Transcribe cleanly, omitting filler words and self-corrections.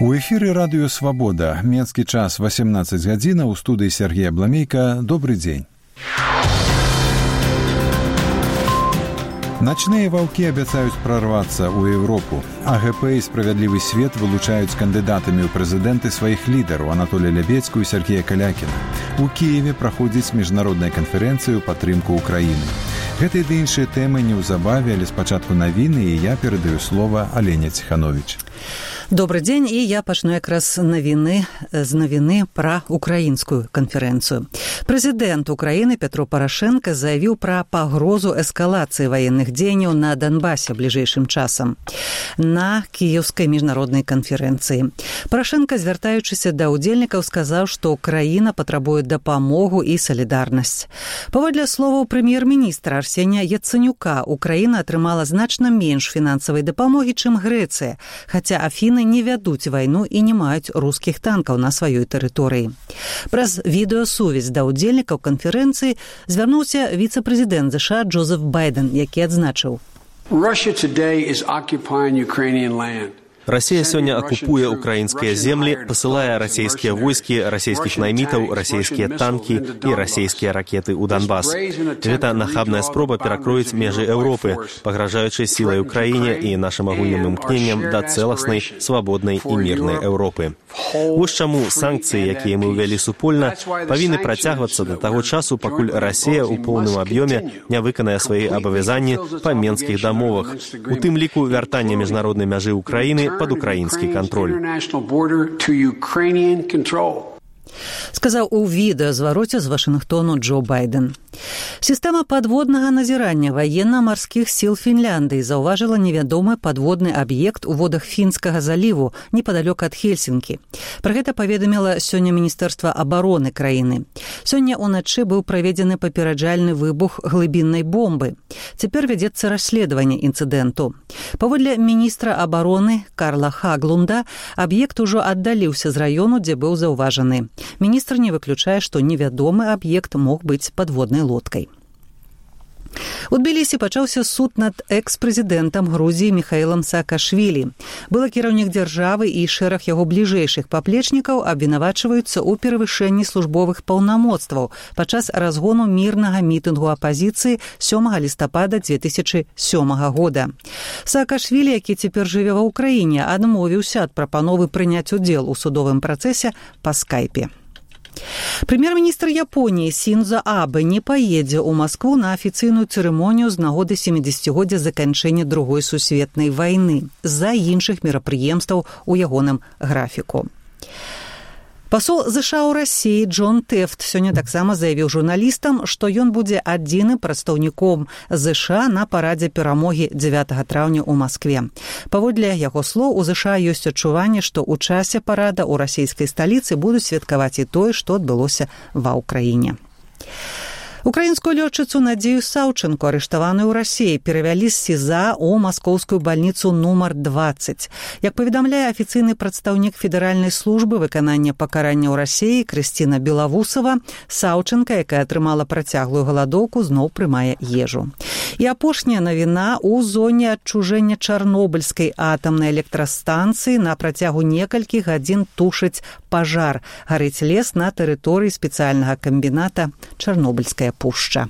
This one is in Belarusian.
У эфіры радыё «Свабода». Менскі час 18 гадзіна. У студыі Сергей Абламейка. Добрый дзень. Ночные ваўкі абяцаюць прорваться ў Европу. АГП і «Справядлівы свет» вылучаюць кандыдатамі ў прэзідэнты сваіх лідараў Анатолія Лябедзьку і Сергея Калякіна. У Кіеве праходзіць міжнародная канферэнцыя ў падтрымку Украіны. Гэтыя ды іншыя тэмы неўзабаве, але спачатку навіны, і я перадаю слова Алене Ціхановіч. Добрый дзень, і я пачну якраз з навіны пра украінскую канферэнцыю. Прэзідэнт Украіны Петро Парашенко заявіў пра пагрозу эскалацыі ваенных дзеянняў на Донбасе бліжэйшым часам на кіеўскай міжнароднай канферэнцыі. Парашенко, звяртаючыся да ўдзельнікаў, сказаў, што краіна патрабуе дапамогу і салідарнасць. Паводле словаў прэм'ер-міністра Арсенія Яцэнюка, Украіна атрымала значна менш фінансавай дапамогі, чым Грэцыя, хаця Афіны не вядуць вайну і не маюць рускіх танкаў на сваёй тэрыторыі. Праз відэасувязь да ўдзельнікаў канферэнцыі звярнуўся віцэ-прэзідэнт ЗША Джозеф Байден, які адзначыў: Россия сегодня оккупуя украинские земли, посылая российские войски, российских наймитов, российские танки и российские ракеты у Донбасс. Это нахабная спроба перакроить межи Европы, погрожающей силой Украине и нашим агульным імкненням до целостной, свободной и мирной Европы. Вось чаму санкции, якія мы увялі супольна, павінны працягвацца до того часу, пакуль Россия у поўным аб'ёме не выканае свае абавязанні па менскіх дамовах, у тым ліку вяртання міжнароднай мяжы Украіны под украінскі кантроль. Сказаў у відэазвароце з Вашынгтону Джо Байден. Сістэма падводнага назірання ваенна-марскіх сіл Фінляндыі заўважыла невядомы падводны аб'ект у водах Фінскага заліву непадалёк ад Хельсінкі. Пра гэта паведаміла сёння Міністэрства абароны краіны. Сёння ўначы быў праведзены папераджальны выбух глыбіннай бомбы. Цяпер вядзецца расследаванне інцыдэнту. Паводле міністра абароны Карла Хаглунда, аб'ект ужо аддаліўся з раёну, дзе быў заўважаны. Міністр не выключае, што невядомы аб'ект мог быць падводнай лодкай. У Тбілісі пачаўся суд над экс-прэзідэнтам Грузіі Міхаілам Саакашвілі. Былы кіраўнік дзяржавы і шэраг яго бліжэйшых паплечнікаў абвінавачваюцца ў перавышэнні службовых паўнамоцтваў падчас разгону мірнага мітынгу апазіцыі 7 лістапада 2007 года. Саакашвілі, які цяпер жыве ва ўкраіне, адмовіўся ад прапановы прыняць удзел у судовым працэсе па скайпе. Прэм'ер-міністр Японіі Сіндзо Абэ не паедзе ў Маскву на афіцыйную цырымонію з нагоды 70-годдзя заканчэння Другой сусветнай вайны з-за іншых мерапрыемстваў у ягоным графіку. Пасол ЗША ў Расіі Джон Тэфт сёння таксама заявіў журналістам, што ён будзе адзіным прадстаўніком ЗША на парадзе перамогі 9 траўня ў Маскве. Паводле яго слоў, у ЗША ёсць адчуванне, што ў часе парада ў расійскай сталіцы будуць святкаваць і тое, што адбылося ва ўкраіне. Украінскую лётчыцу Надзею Саўчэнку, арыштаваную ў Расіі, перавялі з СІЗА ў маскоўскую бальніцу нумар 20. Як паведамляе афіцыйны прадстаўнік федэральнай службы выканання пакарання ў Расіі Крысціна Белавусава, Саўчэнка, якая атрымала працяглую галадоўку, зноў прымае ежу. І апошняя навіна: у зоне адчужэння Чарнобыльскай атамнай электрастанцыі на працягу некалькіх гадзін тушыць пажар. Гарыць лес на тэрыторыі спецыяльнага камбіната Чарнобыльская пушча.